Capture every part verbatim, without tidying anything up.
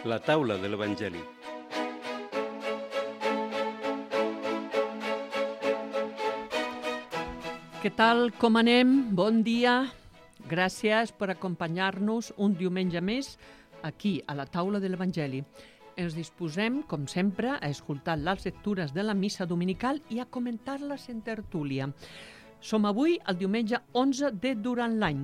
La taula de l'Evangeli. Què tal, com anem? Bon dia. Gràcies per acompanyar-nos un diumenge més aquí, a la taula de l'Evangeli. Ens disposem, com sempre, a escoltar les lectures de la missa dominical i a comentar-les en tertúlia. Som avui el diumenge onze de Durant l'Any.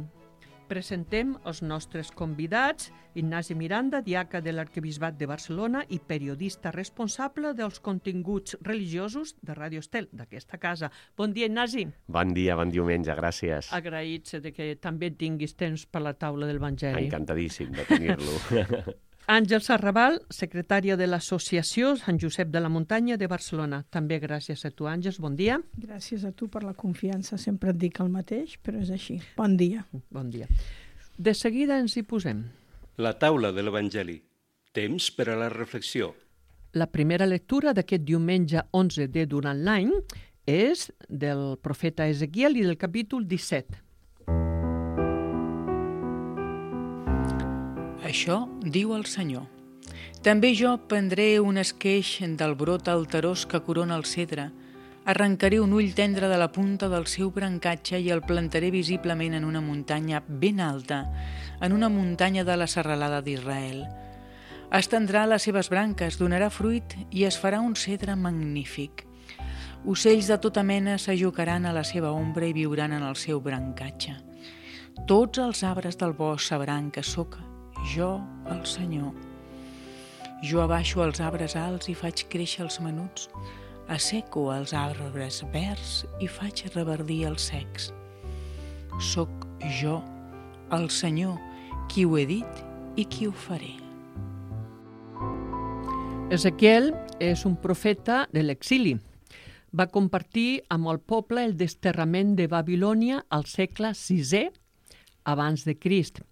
Presentem els nostres convidats, Ignasi Miranda, diaca de l'Arquebisbat de Barcelona i periodista responsable dels continguts religiosos de Ràdio Estel, d'aquesta casa. Bon dia, Ignasi. Bon dia, bon diumenge, gràcies. Agraïts de que també tinguis temps per la taula de l'Evangeli. Encantadíssim de tenir-lo. Àngels Arrabal, secretària de l'Associació Sant Josep de la Muntanya de Barcelona. També gràcies a tu, Àngels. Bon dia. Gràcies a tu per la confiança. Sempre et dic el mateix, però és així. Bon dia. Bon dia. De seguida ens hi posem. La taula de l'Evangeli. Temps per a la reflexió. La primera lectura d'aquest diumenge onze de Durant l'Any és del profeta Ezequiel i del capítol disset. Això diu el Senyor. També jo prendré un esqueix del brot alterós que corona el cedre, arrencaré un ull tendre de la punta del seu brancatge i el plantaré visiblement en una muntanya ben alta, en una muntanya de la serralada d'Israel. Estendrà les seves branques, donarà fruit i es farà un cedre magnífic. Ocells de tota mena s'ajucaran a la seva ombra i viuran en el seu brancatge. Tots els arbres del bosc sabran que sóc jo, el Senyor. Jo abaixo els arbres alts i faig créixer els menuts, asseco els arbres verds i faig reverdir els secs. Soc jo, el Senyor, qui ho he dit i qui ho faré. Ezequiel és un profeta de l'exili. Va compartir amb el poble el desterrament de Babilònia al segle sisè abans de Crist.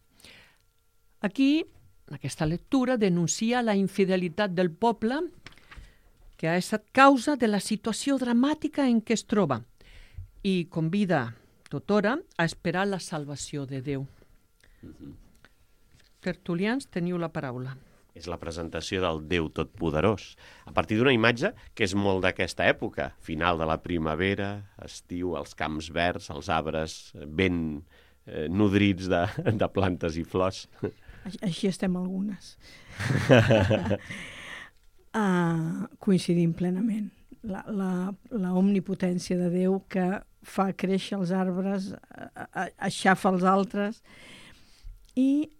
Aquí, aquesta lectura denuncia la infidelitat del poble que ha estat causa de la situació dramàtica en què es troba i convida tothora a esperar la salvació de Déu. Mm-hmm. Tertulians, teniu la paraula. És la presentació del Déu Totpoderós, a partir d'una imatge que és molt d'aquesta època, final de la primavera, estiu, els camps verds, els arbres ben eh, nodrits de, de plantes i flors. Així estem algunes. uh, coincidim plenament. La, la, la omnipotència de Déu que fa créixer els arbres, aixafa els altres i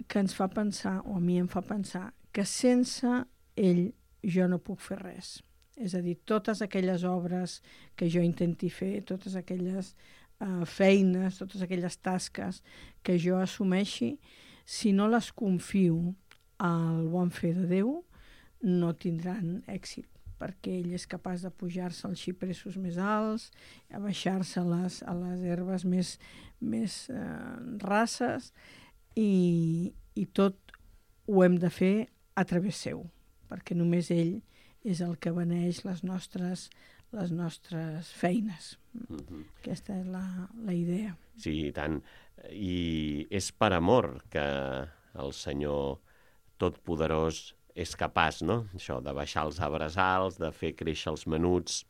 que ens fa pensar, o a mi em fa pensar, que sense ell jo no puc fer res. És a dir, totes aquelles obres que jo intenti fer, totes aquelles uh, feines, totes aquelles tasques que jo assumeixi, si no les confio al bon fer de Déu, no tindran èxit, perquè ell és capaç de pujar-se als xipressos més alts, a baixar-se a les, a les herbes més, més eh, rasses, i, i tot ho hem de fer a través seu, perquè només ell és el que beneix les nostres, les nostres feines. Mm-hmm. Aquesta és la, la idea. Sí, i tant. I és per amor que el Senyor Totpoderós és capaç, no? Això, de baixar els arbres alts, de fer créixer els menuts.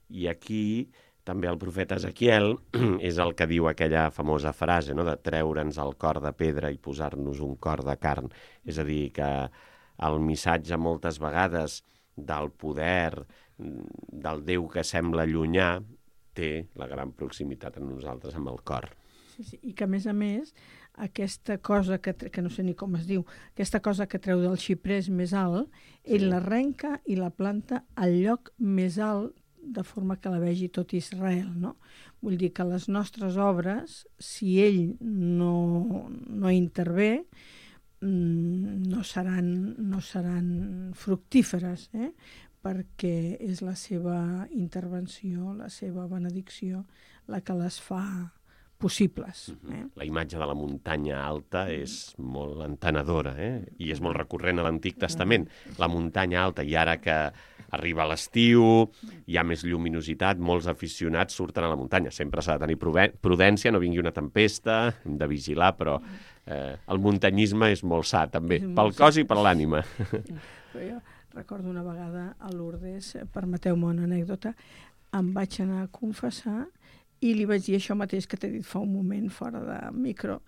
I aquí també el profeta Ezequiel és el que diu aquella famosa frase, no?, de treure'ns el cor de pedra i posar-nos un cor de carn. És a dir, que el missatge moltes vegades del poder, del Déu que sembla llunyà, té la gran proximitat en nosaltres amb el cor. Sí, sí. I que, a més a més, aquesta cosa que, que no sé ni com es diu, aquesta cosa que treu del xiprés més alt, ell sí. l'arrenca i la planta al lloc més alt, de forma que la vegi tot Israel, no? Vull dir que les nostres obres, si ell no, no intervé, no seran, no seran fructíferes, eh? Perquè és la seva intervenció, la seva benedicció, la que les fa possibles. Eh? La imatge de la muntanya alta és molt entenedora, eh? I és molt recurrent a l'Antic Testament. La muntanya alta, i ara que arriba l'estiu, hi ha més lluminositat, molts aficionats surten a la muntanya. Sempre s'ha de tenir prudència, no vingui una tempesta, hem de vigilar, però eh, el muntanyisme és molt sa, també, pel cos i per l'ànima. Però jo recordo una vegada a Lourdes, permeteu-me una anècdota, em vaig anar a confessar i li vaig dir això mateix que t'he dit fa un moment fora de micro.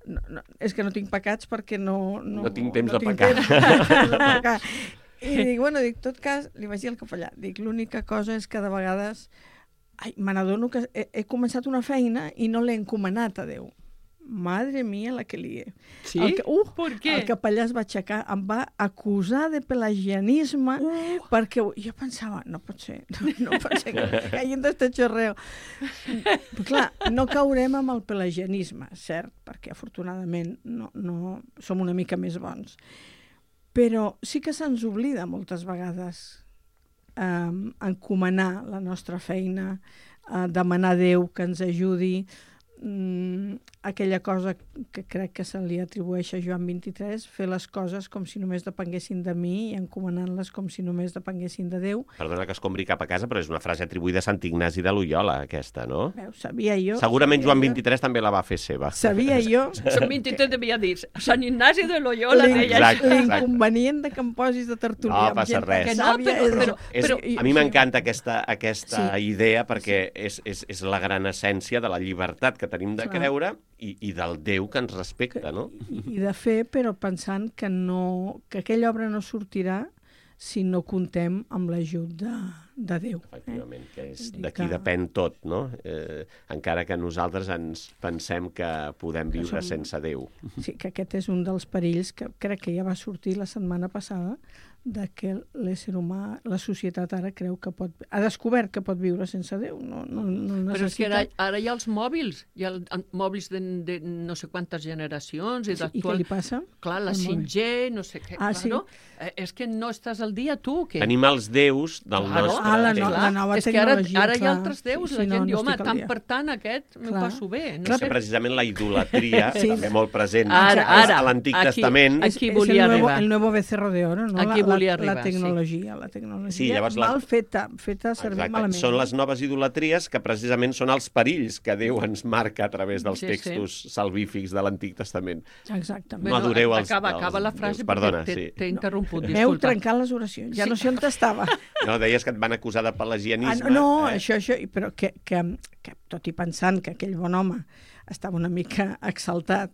No, no, és que no tinc pecats perquè no... No, no tinc temps no de tinc pecar. Temps de pecar. I dic, bueno, dic, tot cas, li vaig dir al capellà, dic, l'única cosa és que de vegades, ai, me n'adono que he, he començat una feina i no l'he encomanat a Déu. Madre mía, la que lié. Sí? El, uh, Per què? El capellà es va aixecar, em va acusar de pelagianisme, uh. perquè jo pensava, no pot ser, no, no pot ser que caient este xorreo. Però clar, no caurem amb el pelagianisme, cert, perquè afortunadament no, no som una mica més bons. Però sí que se'ns oblida moltes vegades eh, encomanar la nostra feina, eh, demanar a Déu que ens ajudi, Mm, aquella cosa que crec que se li atribueix a Joan vint-i-tres, fer les coses com si només depenguessin de mi i encomanant-les com si només depenguessin de Déu. Perdona que es compri cap a casa, però és una frase atribuïda a Sant Ignasi de Loyola, aquesta, no? Veu, sabia jo... Segurament sabia Joan jo, vint-i-tres també la va fer seva. Sabia jo... Sant vint-i-tres devia dir, Sant Ignasi de Loyola deia Exacte, això. exacte. L'inconvenient de que em posis de tertúlia. No amb passa gent res. que Que no, sàvia però- és- però- És, però- a mi m'encanta aquesta, aquesta Sí. idea perquè és, és, és la gran essència de la llibertat que tenim de Clar. creure i, i del Déu que ens respecta, no? I, i de fer, però pensant que, no, que aquella obra no sortirà si no comptem amb l'ajut de, de Déu. Efectivament, que és Vull dir d'aquí que- depèn tot, no? Eh, encara que nosaltres ens pensem que podem viure som- sense Déu. Sí, que aquest és un dels perills que crec que ja va sortir la setmana passada, de que l'ésser humà, la societat ara creu que pot... Ha descobert que pot viure sense Déu. No, no, no necessita... Però és que ara, ara hi ha els mòbils, hi ha el, el, mòbils de, de no sé quantes generacions. I, Sí, I què d'actual... li passa? Clar, la al mòbil? cinc G, no sé què. Ah, clar, sí. no? Eh, és que no estàs al dia, tu, que... Tenim els déus del Claro. nostre Ah, la temps. no- la nova és que ara, tecnologia, ara hi ha clar. altres déus, Sí, la sí, gent no, diu, no home, estic al tant dia. per tant aquest m'ho Clar. passo bé. No No sé. sé, precisament la idolatria, Sí. també molt present Ara, ara, a l'Antic aquí- Testament. aquí- És, és volia el nuevo, arribar. el nuevo becerro de oro, no? Aquí la, volia la, arribar, la sí. tecnologia, la tecnologia Sí, llavors la- mal feta, feta servir Exacte. malament. Són les noves idolatries que precisament són els perills que Déu ens marca a través dels Sí, sí. textos salvífics de l'Antic Testament. Exactament. No adoreu els- acaba, els acaba la déus. frase Perdona, perquè t'he sí. t'he interromput, M'heu disculpa. trencat les oracions, ja Sí. no sé on estava. No, deies que et van acusar de Ah, pelagianisme. no, no eh? això, això, i- però que, que, que tot i pensant que aquell bon home estava una mica exaltat,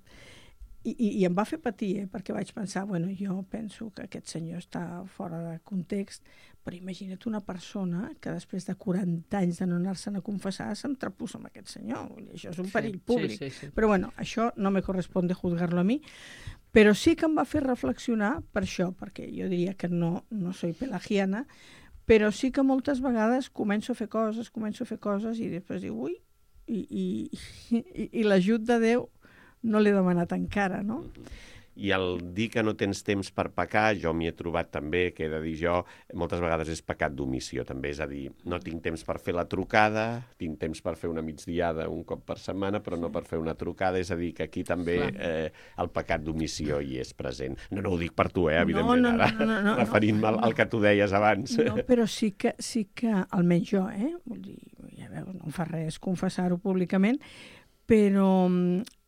i, i, i em va fer patir, eh, perquè vaig pensar, bueno, jo penso que aquest senyor està fora de context, però imagina't una persona que després de quaranta anys de no anar-se'n a confessar s'entrepussa amb aquest senyor. Vull dir, això és un Sí, perill sí, públic. sí, sí. Però bueno, això no me corresponde juzgarlo a mi, però sí que em va fer reflexionar per això, perquè jo diria que no, no soy pelagiana, però sí que moltes vegades començo a fer coses, començo a fer coses i després dic, ui, i, i, i, i l'ajut de Déu no l'he demanat encara, no? I el dir que no tens temps per pecar, jo m'hi he trobat també, que he de dir jo, moltes vegades és pecat d'omissió, també, és a dir, no tinc temps per fer la trucada, tinc temps per fer una migdiada un cop per setmana, però no per fer una trucada, és a dir, que aquí també eh, el pecat d'omissió hi és present. No, no ho dic per tu, eh, evidentment, no, no, ara, no, no, no, referint-me al, al que tu deies abans. No, però sí que, sí que almenys jo, eh? Vull dir, ja veus, no em fa res confessar-ho públicament, però mm,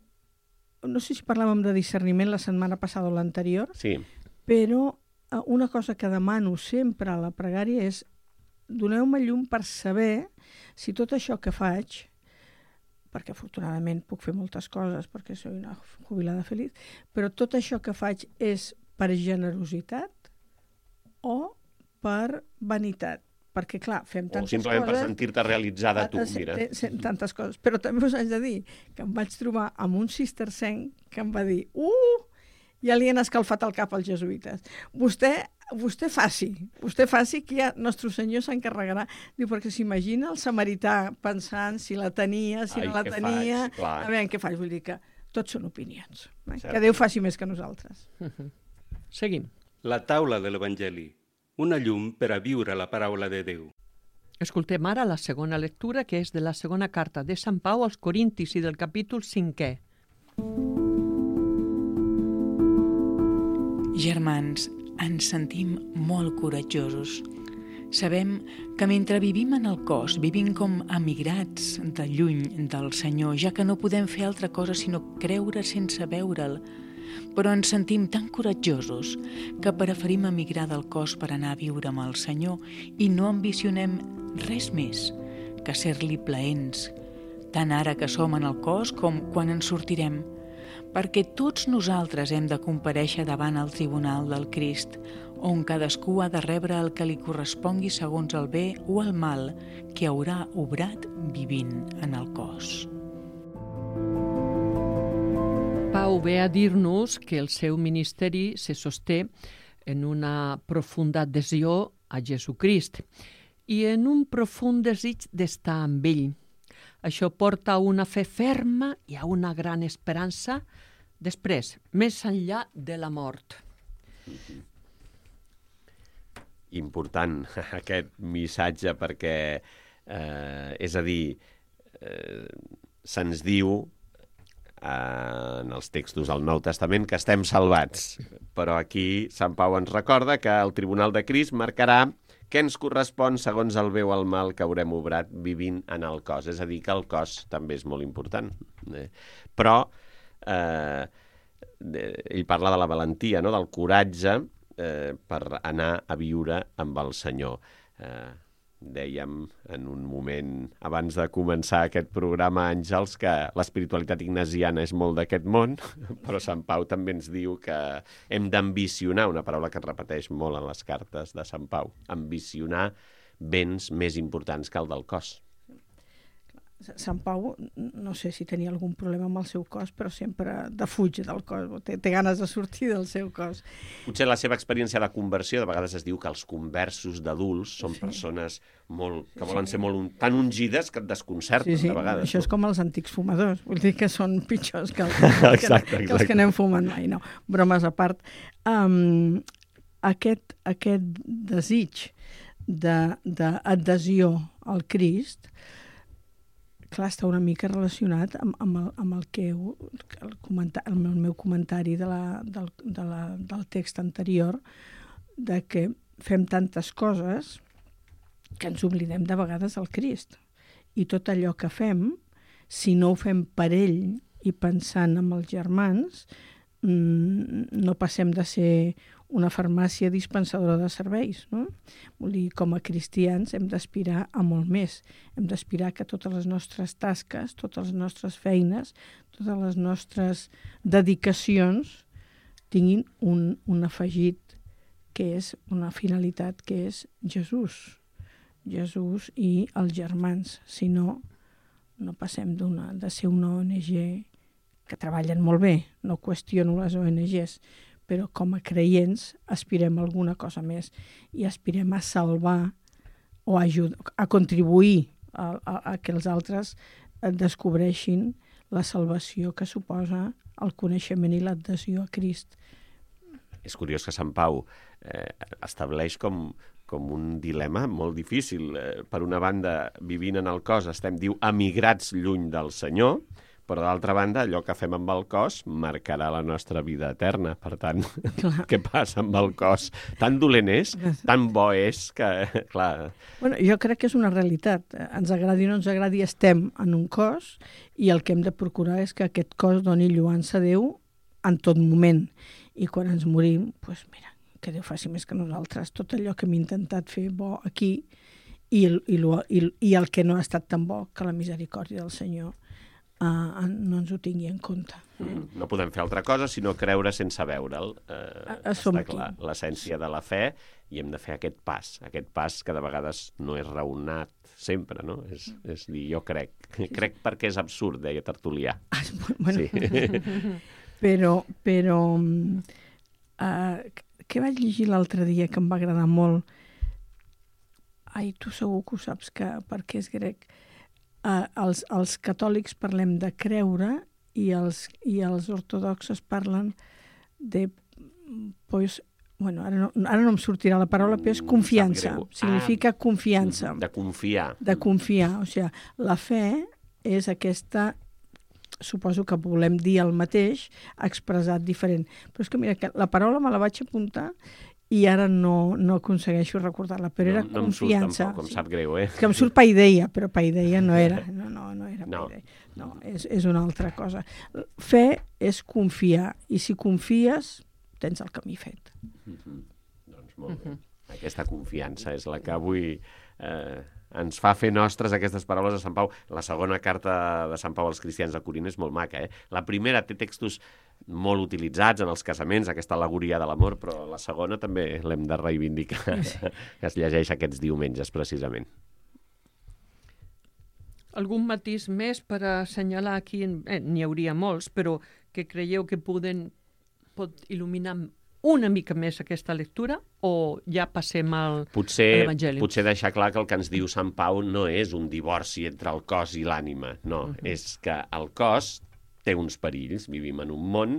no sé si parlàvem de discerniment la setmana passada o l'anterior, Sí, però eh, una cosa que demano sempre a la pregària és doneu-me llum per saber si tot això que faig, perquè afortunadament puc fer moltes coses perquè soy una jubilada feliç, però tot això que faig és per generositat o per vanitat. Perquè, clar, fem o tantes simplement per coses... sentir-te realitzada tu, Sí, mira. té- sé tantes coses. Però també us haig de dir que em vaig trobar amb un cistercenc que em va dir uh, ja li han escalfat el cap als jesuïtes. Vostè, vostè faci, vostè faci que ja Nostre Senyor s'encarregarà. Diu, perquè s'imagina el samarità pensant si la tenia, si Ai, no la què tenia... faig? Clar. A veure, què faig? Vull dir que tots són opinions. Eh? Cert. Que Déu faci més que nosaltres. Seguim. La taula de l'Evangeli, una llum per a viure la paraula de Déu. Escoltem ara la segona lectura, que és de la segona carta de Sant Pau als Corintis i del capítol cinquè. Germans, ens sentim molt coratjosos. Sabem que mentre vivim en el cos, vivim com emigrats de lluny del Senyor, ja que no podem fer altra cosa sinó creure sense veure'l, però ens sentim tan coratjosos que preferim emigrar del cos per anar a viure amb el Senyor i no ambicionem res més que ser-li plaents, tant ara que som en el cos com quan ens sortirem, perquè tots nosaltres hem de comparèixer davant el tribunal del Crist, on cadascú ha de rebre el que li correspongui segons el bé o el mal que haurà obrat vivint en el cos. Pau ve a dir-nos que el seu ministeri se sosté en una profunda adhesió a Jesucrist i en un profund desig d'estar amb ell. Això porta a una fe ferma i a una gran esperança després, més enllà de la mort. Important aquest missatge perquè, eh, és a dir, eh, se'ns diu eh, en els textos del Nou Testament que estem salvats, però aquí Sant Pau ens recorda que el Tribunal de Crist marcarà què ens correspon segons el bé o el mal que haurem obrat vivint en el cos. És a dir, que el cos també és molt important. Eh? Però eh, ell parla de la valentia, no? Del coratge eh, per anar a viure amb el Senyor. Eh, dèiem en un moment, abans de començar aquest programa, Àngels, que l'espiritualitat ignasiana és molt d'aquest món, però Sant Pau també ens diu que hem d'ambicionar, una paraula que es repeteix molt en les cartes de Sant Pau, ambicionar béns més importants que el del cos. Sant Pau, no sé si tenia algun problema amb el seu cos, però sempre defuig del cos, té, té ganes de sortir del seu cos. Potser la seva experiència de conversió, de vegades es diu que els conversos d'adults són sí. persones molt, que volen sí. ser molt, tan ungides que et desconcerten, sí, sí. de vegades. Això és com els antics fumadors, vull dir que són pitjors que, el, exacte, que, exacte. que els que anem fumant mai. No, bromes a part. Um, aquest, aquest desig d'adhesió al Crist, clar, està una mica relacionat amb, amb, el, amb el que el, comentar, el meu comentari de la, del, de la, del text anterior, de que fem tantes coses que ens oblidem de vegades del Crist. I tot allò que fem, si no ho fem per ell i pensant en els germans, no passem de ser una farmàcia dispensadora de serveis, no? Vull dir, com a cristians hem d'aspirar a molt més. Hem d'aspirar que totes les nostres tasques, totes les nostres feines, totes les nostres dedicacions tinguin un, un afegit que és una finalitat que és Jesús. Jesús i els germans. Si no, no passem d'una, de ser una O N G que treballen molt bé, no qüestiono les O N Ges, però com a creients aspirem a alguna cosa més i aspirem a salvar o a, ajudar, a contribuir a, a, a que els altres descobreixin la salvació que suposa el coneixement i l'adhesió a Crist. És curiós que Sant Pau eh, estableix com, com un dilema molt difícil. Eh, per una banda, vivint en el cos, estem, diu, emigrats lluny del Senyor, però d'altra banda, allò que fem amb el cos marcarà la nostra vida eterna. Per tant, clar. Què passa amb el cos? Tan dolent és, tan bo és, que, clar... Bueno, jo crec que és una realitat. Ens agradi o no ens agradi, estem en un cos i el que hem de procurar és que aquest cos doni lloança a Déu en tot moment. I quan ens morim, doncs mira, que Déu faci més que nosaltres. Tot allò que hem intentat fer bo aquí i el, i, lo, i, i el que no ha estat tan bo, que la misericòrdia del Senyor Uh, no ens ho tingui en compte. Mm, no podem fer altra cosa sinó creure sense veure'l. Uh, està clar, l'essència de la fe, i hem de fer aquest pas, aquest pas que de vegades no és raonat sempre, no? És, és dir, jo crec. Sí, crec sí. Perquè és absurd, deia Tertulià. Ah, bueno. Sí. però, però uh, què vaig llegir l'altre dia que em va agradar molt? Ai, tu segur que ho saps, que perquè és grec. Uh, els, els catòlics parlem de creure i els, i els ortodoxes parlen de... Pues, bueno, ara no, ara no em sortirà la paraula, però és confiança. Significa ah, confiança. De confiar. De confiar. O sigui, la fe és aquesta... Suposo que volem dir el mateix, expressat diferent. Però és que, mira, que la paraula me la vaig apuntar i ara no, no aconsegueixo recordar-la, però no, era no confiança. No em surt tampoc, em sí. sap greu, eh? Que em surt paideia, però paideia no era. No, no, no era No. paideia. No, és, és una altra cosa. Fe és confiar, i si confies, tens el camí fet. Mm-hmm. Doncs molt bé. Aquesta confiança és la que avui eh, ens fa fer nostres aquestes paraules de Sant Pau. La segona carta de Sant Pau als cristians de Corint és molt maca, eh? La primera té textos molt utilitzats en els casaments, aquesta al·legoria de l'amor, però la segona també l'hem de reivindicar, sí. Que es llegeix aquests diumenges, precisament. Algun matís més per assenyalar aquí? Eh, n'hi hauria molts, però que creieu que poden, pot il·luminar una mica més aquesta lectura o ja passem al, potser, a l'Evangeli? Potser deixar clar que el que ens diu Sant Pau no és un divorci entre el cos i l'ànima, no, uh-huh. És que el cos té uns perills, vivim en un món,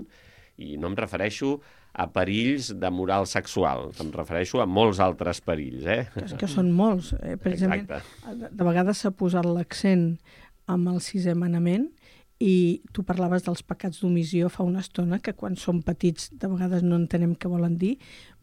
i no em refereixo a perills de moral sexual, em refereixo a molts altres perills, eh? És que són molts. Eh? Precisament, de, de vegades s'ha posat l'accent amb el sisè manament, i tu parlaves dels pecats d'omissió fa una estona, que quan som petits de vegades no entenem què volen dir,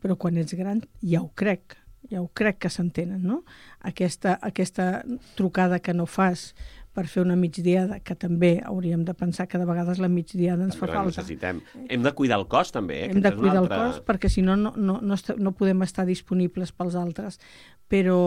però quan ets gran ja ho crec, ja ho crec que s'entenen, no? Aquesta, aquesta trucada que no fas per fer una migdiada, que també hauríem de pensar que de vegades la migdiada ens també fa falta. Necessitem. Hem de cuidar el cos, també. Eh? Hem de cuidar altra... el cos, perquè si no, no, no, no, est- no podem estar disponibles pels altres. Però,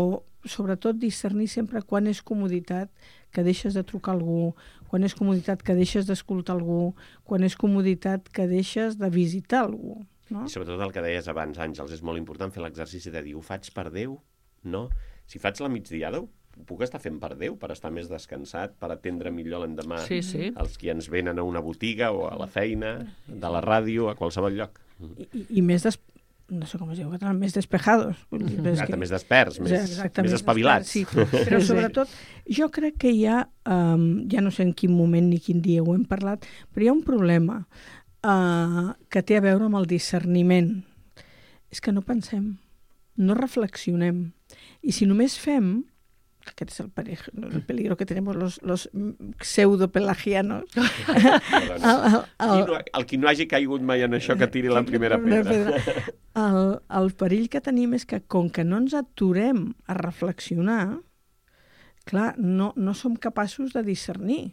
sobretot, discernir sempre quan és comoditat que deixes de trucar a algú, quan és comoditat que deixes d'escoltar algú, quan és comoditat que deixes de visitar algú. No? I sobretot el que deies abans, Àngels, és molt important fer l'exercici de dir, ho faig per Déu? No. Si faig la migdiada, ho puc estar fent per Déu, per estar més descansat, per atendre millor l'endemà sí, sí. els qui ens venen a una botiga o a la feina, de la ràdio, a qualsevol lloc. I, i, i més des... no sé com es diu, més despejados. Exacte, que... més desperts, més, Exacte, més espavilats. Despert, sí. Però sobretot, jo crec que hi ha, um, ja no sé en quin moment ni quin dia ho hem parlat, però hi ha un problema uh, que té a veure amb el discerniment. És que no pensem, no reflexionem. I si només fem, aquest és el peligro, el peligro que tenemos los, los pseudo-pelagianos. el, el, el, el qui no hagi caigut mai en això, que tiri la primera pedra. El, el perill que tenim és que, com que no ens aturem a reflexionar, clar, no, no som capaços de discernir.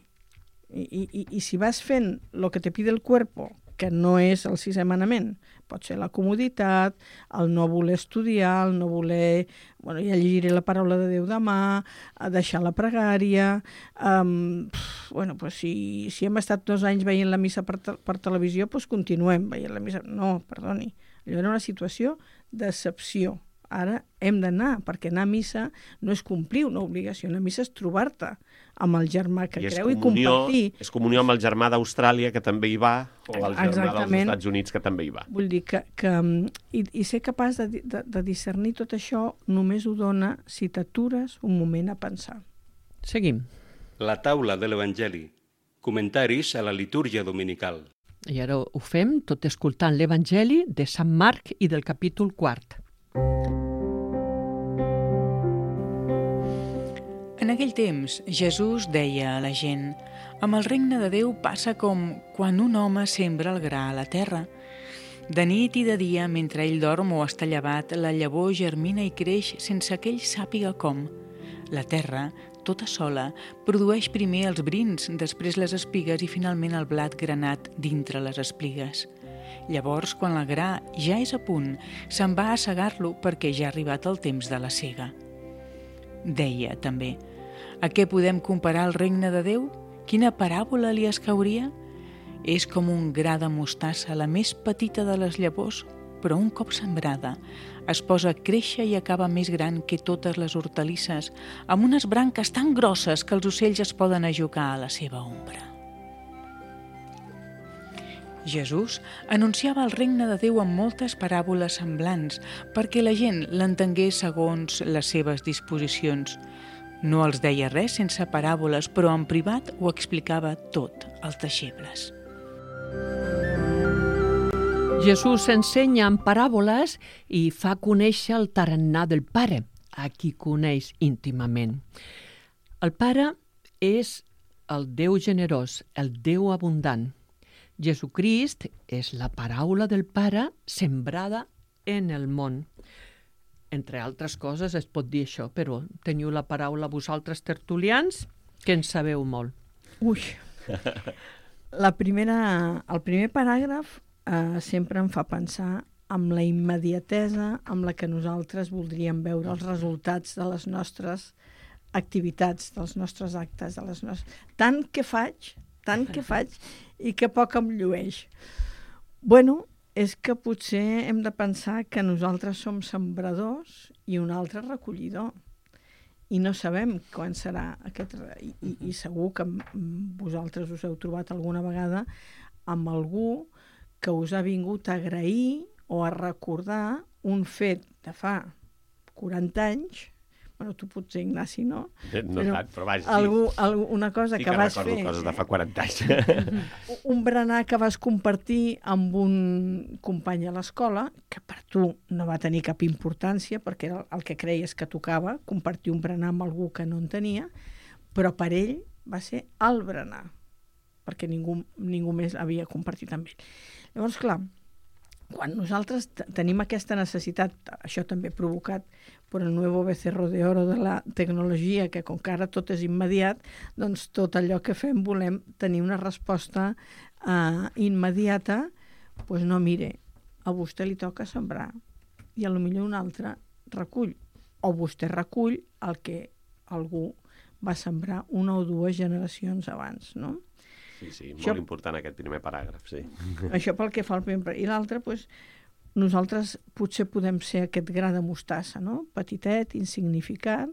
I, i, i si vas fent el que te pide el cuerpo, que no és el sisè manament, pot ser la comoditat, el no voler estudiar, el no voler... Bueno, ja llegiré la paraula de Déu demà, a deixar la pregària... Um, pff, bueno, pues si, si hem estat dos anys veient la missa per, te per televisió, doncs continuem veient la missa... No, perdoni, allò era una situació d'excepció. Ara hem d'anar, perquè anar a missa no és complir una obligació, anar a missa és trobar-te amb el germà que I creu comunió, i compartir. És comunió amb el germà d'Austràlia, que també hi va, o el germà Exactament. dels Estats Units, que també hi va. Vull dir que, que i, i ser capaç de, de, de discernir tot això només ho dona si t'atures un moment a pensar. Seguim. La taula de l'Evangeli. Comentaris a la litúrgia dominical. I ara ho fem tot escoltant l'Evangeli de Sant Marc i del capítol quart. En aquell temps, Jesús deia a la gent: amb el regne de Déu passa com quan un home sembra el gra a la terra. De nit i de dia, mentre ell dorm o està llevat, la llavor germina i creix sense que ell sàpiga com. La terra, tota sola, produeix primer els brins, després les espigues i finalment el blat granat dintre les espigues. Llavors, quan el gra ja és a punt, se'n va a segar-lo perquè ja ha arribat el temps de la sega. Deia també: a què podem comparar el regne de Déu? Quina paràbola li escauria? És com un gra de mostassa, la més petita de les llavors, però un cop sembrada es posa a créixer i acaba més gran que totes les hortalisses, amb unes branques tan grosses que els ocells es poden ajugar a la seva ombra. Jesús anunciava el regne de Déu amb moltes paràboles semblants perquè la gent l'entengués segons les seves disposicions. No els deia res sense paràboles, però en privat ho explicava tot als deixebles. Jesús ensenya en paràboles i fa conèixer el tarannà del Pare, a qui coneix íntimament. El Pare és el Déu generós, el Déu abundant. Jesucrist és la paraula del Pare sembrada en el món. Entre altres coses es pot dir això, però teniu la paraula vosaltres tertulians, que en sabeu molt. Ui, la primera, el primer paràgraf eh, sempre em fa pensar amb la immediatesa amb la que nosaltres voldríem veure els resultats de les nostres activitats, dels nostres actes, de les nostres... tant que faig, tant que faig i que poc em llueix. Bueno, és que potser hem de pensar que nosaltres som sembradors i un altre recollidor. I no sabem quan serà aquest... I, i, i segur que vosaltres us heu trobat alguna vegada amb algú que us ha vingut a agrair o a recordar un fet de fa quaranta anys. Bueno, tu potser, Ignasi, no? No però tant, però vaja, sí. Algú, algú, una cosa sí que, que vas fer... Sí que recordo coses de fa quaranta anys. Un berenar que vas compartir amb un company a l'escola, que per tu no va tenir cap importància, perquè era el que creies que tocava, compartir un berenar amb algú que no en tenia, però per ell va ser el berenar, perquè ningú, ningú més havia compartit amb ell. Llavors, clar, quan nosaltres tenim aquesta necessitat, això també provocat per el nuevo becerro de oro de la tecnologia, que com que ara tot és immediat, doncs tot allò que fem volem tenir una resposta uh, immediata, doncs no, mire, a vostè li toca sembrar i a lo millor un altre recull, o vostè recull el que algú va sembrar una o dues generacions abans, no? Sí, sí, molt això, important aquest primer paràgraf, sí. Això pel que fa al primer... I l'altre, doncs, nosaltres potser podem ser aquest gra de mostassa, no? Petitet, insignificant,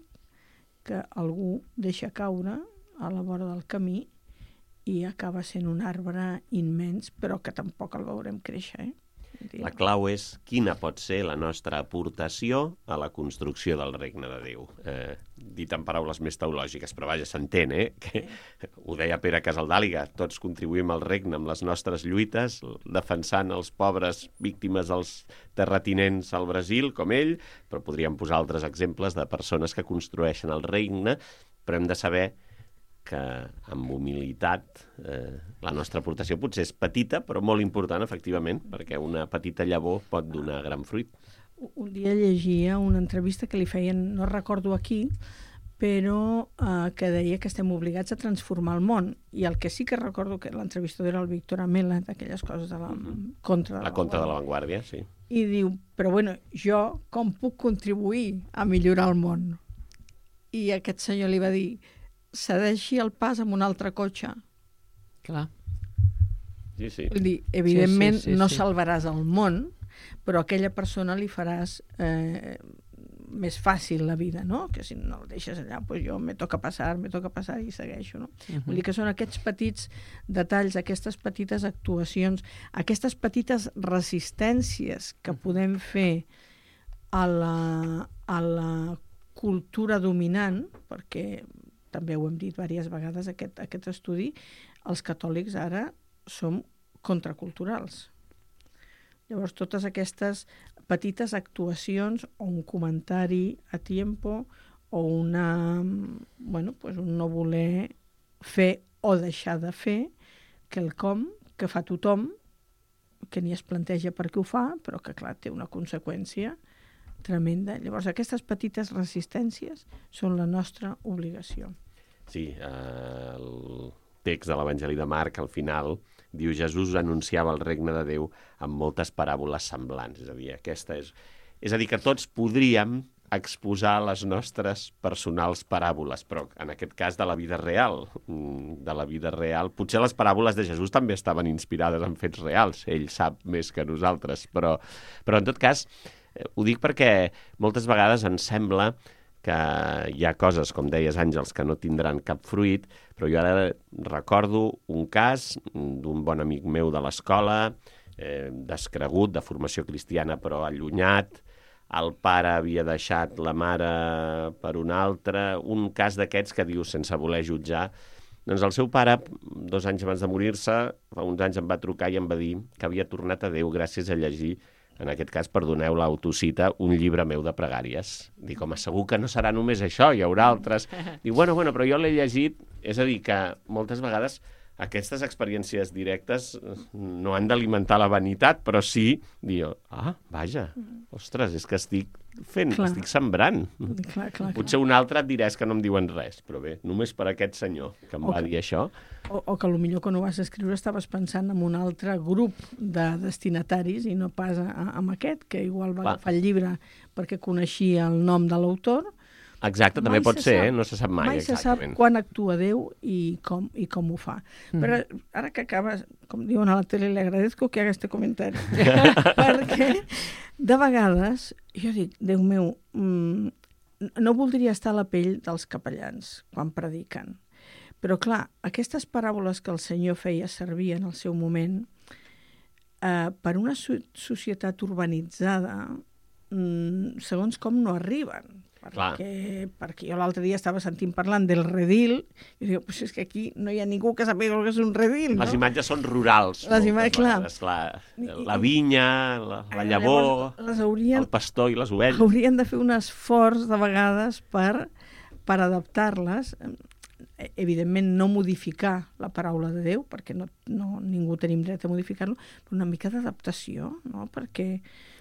que algú deixa caure a la vora del camí i acaba sent un arbre immens, però que tampoc el veurem créixer, eh? La clau és quina pot ser la nostra aportació a la construcció del regne de Déu. Eh, dit en paraules més teològiques, però vaja, s'entén, eh? Que, ho deia Pere Casaldàliga, tots contribuïm al regne amb les nostres lluites, defensant els pobres víctimes dels terratinents al Brasil, com ell, però podríem posar altres exemples de persones que construeixen el regne, però hem de saber que amb humilitat eh, la nostra aportació potser és petita, però molt important, efectivament, perquè una petita llavor pot donar gran fruit. Un dia llegia una entrevista que li feien, no recordo aquí, però eh, que deia que estem obligats a transformar el món. I el que sí que recordo que l'entrevistador era el Víctor Amela, d'aquelles coses de la contra de la contra de l'avantguàrdia, sí. I diu, però bueno, jo com puc contribuir a millorar el món? I aquest senyor li va dir, cedeixi el pas amb un altre cotxe. Clar. Sí, sí. Vull dir, evidentment sí, sí, sí, no sí. salvaràs el món, però a aquella persona li faràs eh, més fàcil la vida, no? Que si no el deixes allà, pues jo me toca passar, me toca passar i segueixo, no? Uh-huh. Vull dir que són aquests petits detalls, aquestes petites actuacions, aquestes petites resistències que podem fer a la, a la cultura dominant, perquè també ho hem dit diverses vegades, aquest, aquest estudi, els catòlics ara som contraculturals. Llavors, totes aquestes petites actuacions o un comentari a tiempo o una, bueno, pues un no voler fer o deixar de fer quelcom que fa tothom, que ni es planteja per què ho fa, però que, clar, té una conseqüència tremenda. Llavors, aquestes petites resistències són la nostra obligació. Sí, eh, el text de l'Evangeli de Marc, al final, diu Jesús anunciava el regne de Déu amb moltes paràboles semblants. És a dir, aquesta és... És a dir, que tots podríem exposar les nostres personals paràboles, però en aquest cas de la vida real. De la vida real. Potser les paràboles de Jesús també estaven inspirades en fets reals. Ell sap més que nosaltres, però, però en tot cas... Ho dic perquè moltes vegades ens sembla que hi ha coses, com deies, Àngels, que no tindran cap fruit, però jo ara recordo un cas d'un bon amic meu de l'escola, eh, descregut, de formació cristiana, però allunyat. El pare havia deixat la mare per un altre. Un cas d'aquests que diu, sense voler jutjar, doncs el seu pare, dos anys abans de morir-se, fa uns anys em va trucar i em va dir que havia tornat a Déu gràcies a llegir, en aquest cas, perdoneu l'autocita, un llibre meu de pregàries. Dic, home, segur que no serà només això, hi haurà altres. Diu, bueno, bueno, però jo l'he llegit. És a dir, que moltes vegades aquestes experiències directes no han d'alimentar la vanitat, però sí dir, ah, vaja, ostres, és que estic fent, clar. estic sembrant. Clar, clar, Potser clar. un altre et diràs que no em diuen res, però bé, només per aquest senyor que em O va que- dir això. O, o que potser quan ho vas escriure estaves pensant en un altre grup de destinataris i no pas a, amb aquest, que igual va Clar. agafar el llibre perquè coneixia el nom de l'autor. Exacte, també Mai pot se ser, sap. eh? No se sap mai, Mai se sap exactament. quan actua Déu i com, i com ho fa. Mm. Però ara que acabes, com diuen a la tele, le agradezco que haga este comentari. Perquè de vegades jo dic, Déu meu, mmm, no voldria estar a la pell dels capellans quan prediquen. Però clar, aquestes paraules que el Senyor feia servir en el seu moment, eh, per una so societat urbanitzada, mmm, segons com no arriben. Perquè, perquè jo l'altre dia estava sentint parlant del redil i dic, pues és que aquí no hi ha ningú que sàpiga el que és un redil, no? Les imatges són rurals. Les imatges, clar. La, la vinya, la, la llavor, les haurien, el pastor i les ovelles. haurien de fer un esforç de vegades per, per adaptar-les. Evidentment, no modificar la paraula de Déu, perquè no, no, ningú tenim dret a modificar-lo, però una mica d'adaptació, no? Perquè,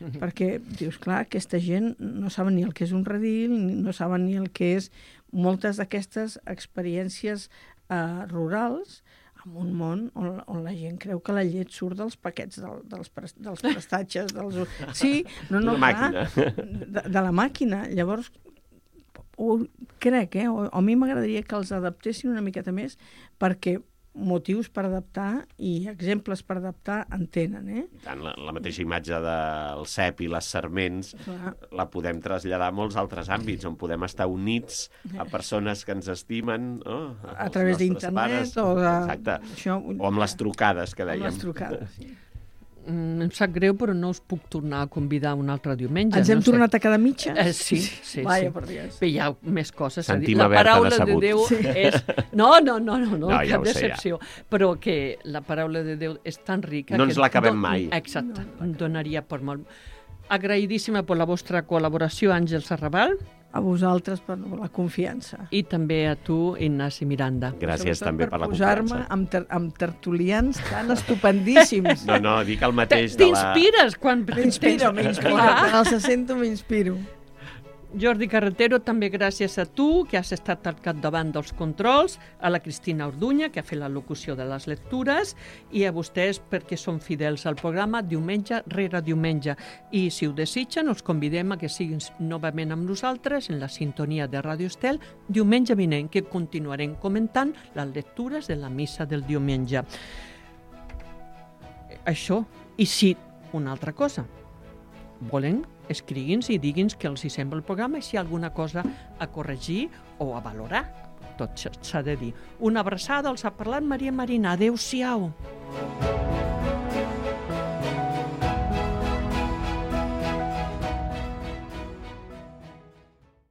uh-huh. perquè, dius, clar, aquesta gent no saben ni el que és un redil, no saben ni el que és moltes d'aquestes experiències eh, rurals, en un món on, on la gent creu que la llet surt dels paquets, del, dels, dels prestatges, dels... Sí, no, no, la clar, màquina. De, de la màquina. Llavors, o crec, eh? O, a mi m'agradaria que els adaptessin una miqueta més perquè motius per adaptar i exemples per adaptar en tenen, eh? Tant, la, la mateixa imatge del cep i les sarments Clar. la podem traslladar a molts altres àmbits on podem estar units a persones que ens estimen, oh, A través d'internet o de... Exacte. Això, O amb les trucades que amb dèiem. les trucades, sí. Mm, em sap greu, però no us puc tornar a convidar un altre diumenge. Ens hem no sé. tornat a quedar mitges? Eh, sí, sí, Vaja, sí. per Dios. Bé, hi ha més coses a dir. Sentim La a Berta paraula de decebut. Déu Sí. és... No, no, no, no, no, No, ja cap ho sé, decepció. Però que la paraula de Déu és tan rica... No que ens l'acabem don- mai. Exacte, no, donaria per molt. Agraïdíssima per la vostra col·laboració, Àngels Arrabal, A vosaltres per la confiança. i també a tu, Ignasi Miranda. Gràcies Sobretot també per la posar-me confiança. amb, ter amb tertulians tan estupendíssims. No, no, dic el mateix de la... T'inspires quan... M'inspiro, m'inspiro. Clar. Quan els sento, m'inspiro. Jordi Carretero, també gràcies a tu, que has estat al capdavant dels controls, a la Cristina Orduña, que ha fet la locució de les lectures, i a vostès perquè són fidels al programa diumenge rere diumenge. I si ho desitgen, els convidem a que siguin novament amb nosaltres en la sintonia de Ràdio Estel diumenge vinent, que continuarem comentant les lectures de la missa del diumenge. Això, i sí, una altra cosa. Volen, escrigui'ns i digui'ns què els hi sembla el programa i si hi ha alguna cosa a corregir o a valorar. Tot s'ha de dir. Una abraçada, els ha parlat Maria Marina. Adéu-siau.